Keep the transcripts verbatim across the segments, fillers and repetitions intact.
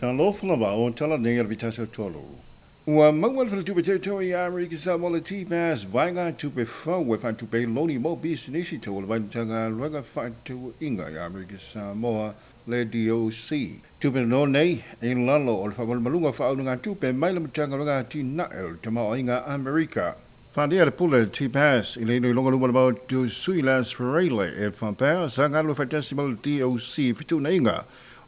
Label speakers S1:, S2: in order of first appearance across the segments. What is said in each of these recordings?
S1: Talofa lava o tala nei o le vitaso tolu. Ua maua le faletupe teuteu i Amerika Samoa le T-Pass vaega tupe fou e faatupe loni mo pisinisi tau o le Matagaluega Faatauaiga i Amerika Samoa le D O C. Tupe no nei e lalo o le faamalumaluga faaulugatupe mai le Matagaluega Atinae o le Tamaoaiga Amerika. Whanea le pule T-Pass i le iloiloga luma le mau sui Las Ferreira e whampea sa ngalo whaitasi ma le D O C fitunaiga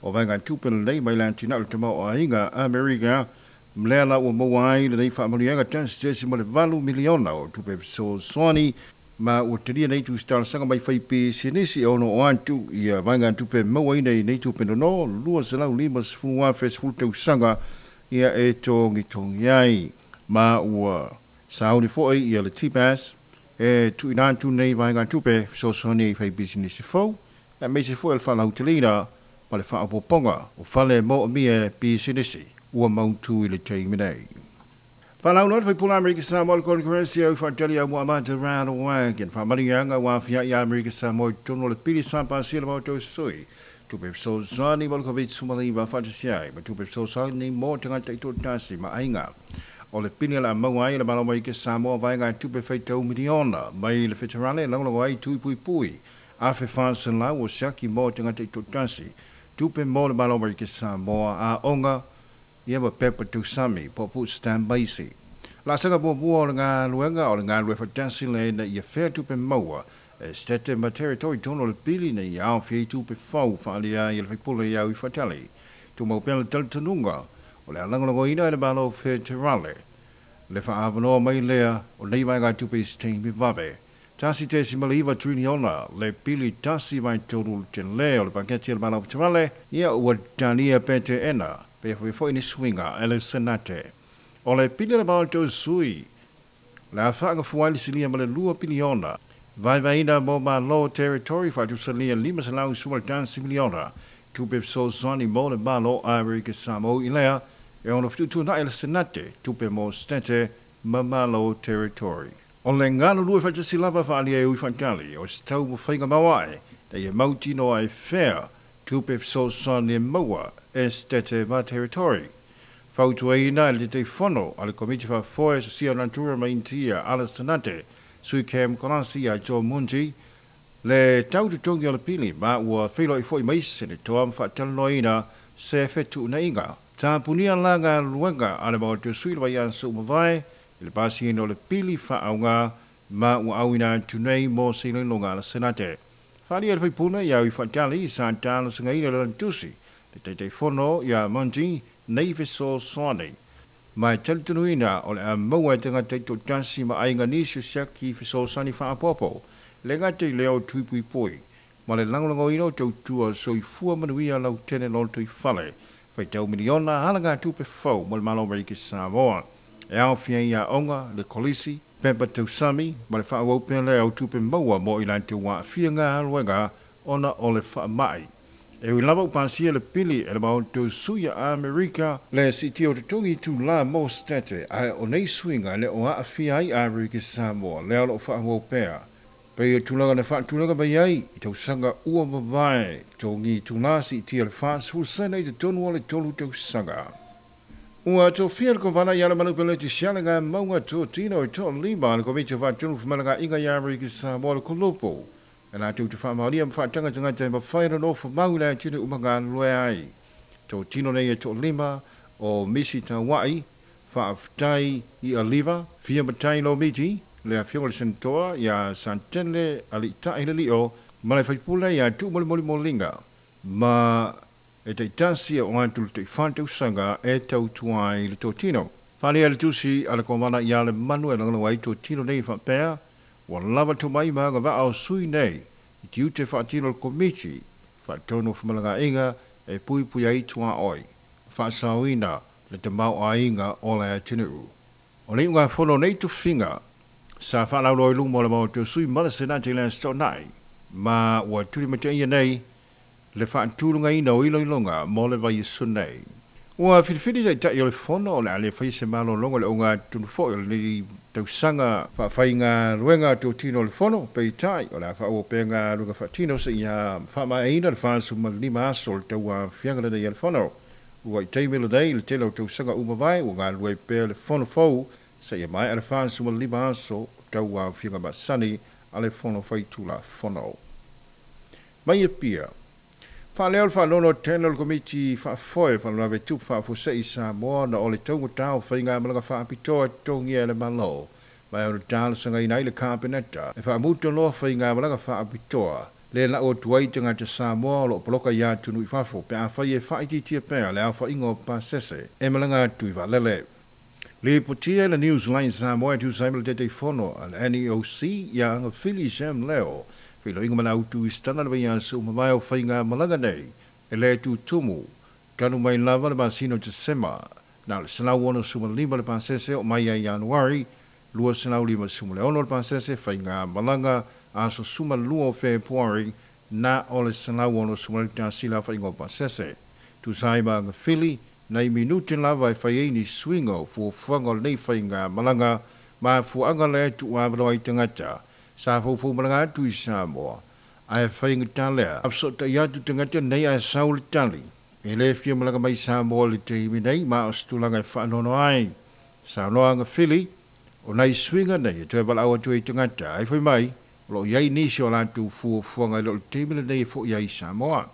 S1: o vaega tupe lenei mai le atinae o le Tamaoaiga Amerika. Mlea la ua maua ai lenei faamanuiaga tasi tesi ma le valu miliona o tupe fesoasoani ma ua talia nei tusitalasaga mai fai pisinisi e ono o atu ia vaega tupe mauaina i nei tupe nono lua selau lima sefulu afe sefulu tausaga ia e togitogi ai. Ma ua sauni foi ia le T-Pass e tuuina atu nei vaega tupe fesoasoani i fai pisinisi fou e aemaise foi o le faalauteleina ma le faaopoopoga o fale moomia pisinisi ua mautu i le taimi nei. Whalauloa le faipula Amerika Samoa le Kongresi au whaatali au muamata Radwagon. Whamarianga wa fia i Amerika Samoa i tonu o le pili sa pasia le maotou sui. Tupe fesoasoani mo le COVID sefulumativa faatasi ai ma tupe fesoasoani mo tagata i toatasi ma aiga. O le pili la maua ai le Malo Amerika Samoa vaega tupe faitau miliona mai le federale lagolago ai tui pui pui. Afe whaselau o siaki mo tagata i toatasi. Tupe mo le Malo Amerika Samoa a onga ia ma pepa tausami po pu stand by. La sanga muamua o le galuega o le galue faatasi le ina ia fea tupe maua e state ma territory tonu o le pili ina ia aofia i tupe fou faaalia ai e le faipule iau i fatali. Tumau pea le talitonuga o le alagolagoina e le Malo Federale le faaavanoa mai lea o nei vaega tupe i se taimi vave. Tasi tesi ma le iva triliona le pili tasi vai tolu tele o le paketi o le Malo Federale ia ua talia pete ena pe foi foi ni suiga e le Senate. O le pili le maotou sui le afaga fuai le silia ma le lua piliona vaivaiina mo Malo Territory faatusalia lima selau sua le tasi miliona tupe fesoasoani mo le Malo Amerika Samoa i lea e ono fetuutuunai le Senate tupe mo State ma Malo Territory. O le galulue faatasi lava faaalia e ui faatali o se tau mafaiga mauae na ia mautinoa ai fea tupe fesoasoani e maua e State ma Territory. Fautuaina e le Taitaifono a le Komiti Faafoe Sosia Natura ma Initia a le Senate sui Cam Kolasi ia Joe Munji le tau totogi o le pili ma ua feiloai foi mai se le toa ma faatalanoaina se fetuunaiga. Tapunia la galuega a le maotou sui le vaiaso ua mavae i le pasiina o le pili faaauga ma ua auina atu nei mo se iloiloga a le Senate. Faaalia le faipule ia ui faatali sa talosagaina le lana le Taitaifono ia Munji nei fesoasoani. Ma e talitonuina o le a maua e tagata i toatasi ma aiga nisi o siaki fesoasoani faapopo le gata i lea o tuipuipui ma le lagolagoina o tautua soifua manuia lautele loto i fale faitau miliona halaga tupe fou mo le Malo Amerika Samoa. E aofia i aoga le kolisi pepa tausami ma le faaauau pea lea o tupe maua mo i latou aafia galuega ona o le faamai. E ui lava upasia le pili e le maotou sui a Amerika le siitia o totogi tulā mo State ae o nei suiga le o aafia ai Amerika Samoa lea o loo faaauau pea. Pei o tulaga na faatulaga mai ai i tausaga ua mavae togi tulā siitia le fasefulu sene i totonu o le tolu tausaga. Ua tofia le kovana ia le manupeleti sialaga mauga totino i toalima le Komiti o Faatonu Femalagaaiga ia Amerika Samoa le Kolopo. E latou te faamaonia ma faatagatagata e mafai ona nofo mau i le atunuu ma galulue ai. Totino nei e toalima o Misi Tauai, Faafetai i Aliva, Fia Matai Lomiti, le afioga le Senatoa ia Santele Aliitai le Lio, ma le faipule ia Tuumolimolimolinga, ma e taitasi o atu le taifā tausaga e tautua ai le totino. Faaalia le tusi a le kovana ia le manu e lagolago ai totino nei faapea, ua lava tomai ma agavaa o sui nei i tiute faatino o le Komiti Faatonu o Femalagaaiga e puipui ai tuaoi, faasaoina le tamaoaiga o le atunuu. O le iugafono nei tofiga sa faalauloa i luma o le maotou sui ma le Senate i le aso Toonai, ma ua tulimataia nei le faatulagaina o iloiloga mo le vaiaso nei. Ua filifili taitai o le fono o le a le faia se malologa o le augatonu foi o lenei tausaga faafaigaluega totino o le fono, peitai o le a faaauau pea galuega faatino seia faamaeaina le fasefulu ma le lima aso o le tauaofiaga lenei a le fono. Ua i taimi lenei le tele o tausaga ua mavae ua galulue pea le fono fou seia maea le fasefulumalima aso tauaofiaga masani a le Fono Faitulafono. Mai Apia. Faaleo le faanoanoa tele o le Komiti Faafoe Faalavelave Tupu Faafuasei i Samoa ona o le taugatā o faigamalaga faapitoa e totogia e le Malo ma e ono talosagaina ai le Kapeneta e faamuta loa faigamalaga faapitoa le lau atu ai tagata Samoa o loo poloka i atunuu i fafo pe afai e faaitiitia pea le aofaiga o pasese e malaga atu i vaalele. Lipotia e le Newsline Samoa e tusa ai ma le Taitaifono a le N E O C ia Agafili Sam Leo feiloaiga ma le au turistana le vaiaso ua mavae o faigamalaga nei e le tutumu talu mai lava le masina o Tesema na o le selau onosefulumalima le pasese o mai ia Ianuari lua selau limasefuluono le pasese faigamalaga aso sumalua o Fepuari na o le selau onosefulutasi le aofaiga o pasese. Tusa ai ma Agafili nai minute lava e fai ai ni suiga o fuafuaga o lenei faigamalaga ma fuaga lea e tuuavanoa ai tagata sa foufou malaga atu i Samoa ae faigata lea afasotai atu tagata nei ae sau le tali e le fia malaga mai Samoa i le taimi nei ma o se tulaga e faanoanoa ai. Saunoa Agafili o nai suiga nei e toe valaau atu ai tagata ai fai mai o loo iai nisi o latou fuafuaga i loo le taimi lenei e fo'i ai i Samoa.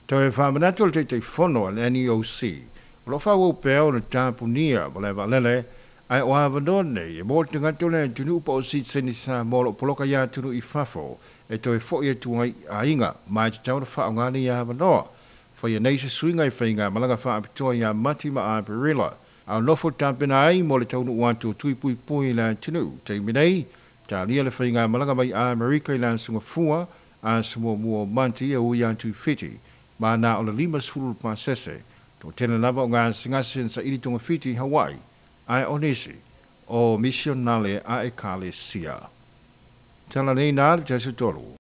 S1: Toe faamanatu le Taitaifono a le N E O C o loo faaauau pea ona tapunia malae vaalele ae o avanoa nei e mo tagata o le atunuu po o sitiseni Samoa o loo poloka i atunuu i fafo e toe fo'i atu ai i aiga ma e tatau ona faaaoga nei avanoa. Faia nei se suiga i faigamalaga faapitoa ia Mati ma Aperila a o nofo tapena ai mo le taunuu atu o tui puipui i le atunuu. Taimi nei, talia le faigamalaga mai Amerika i le aso Gafua aso muamua o Mati e ui atu i Fiti ma na o le limasefulu le pasese. Toatele lava o gasegase na saili togafiti i Hawaii ae o nisi o misionale a ekalesia. Tala nei na le tasi tolu.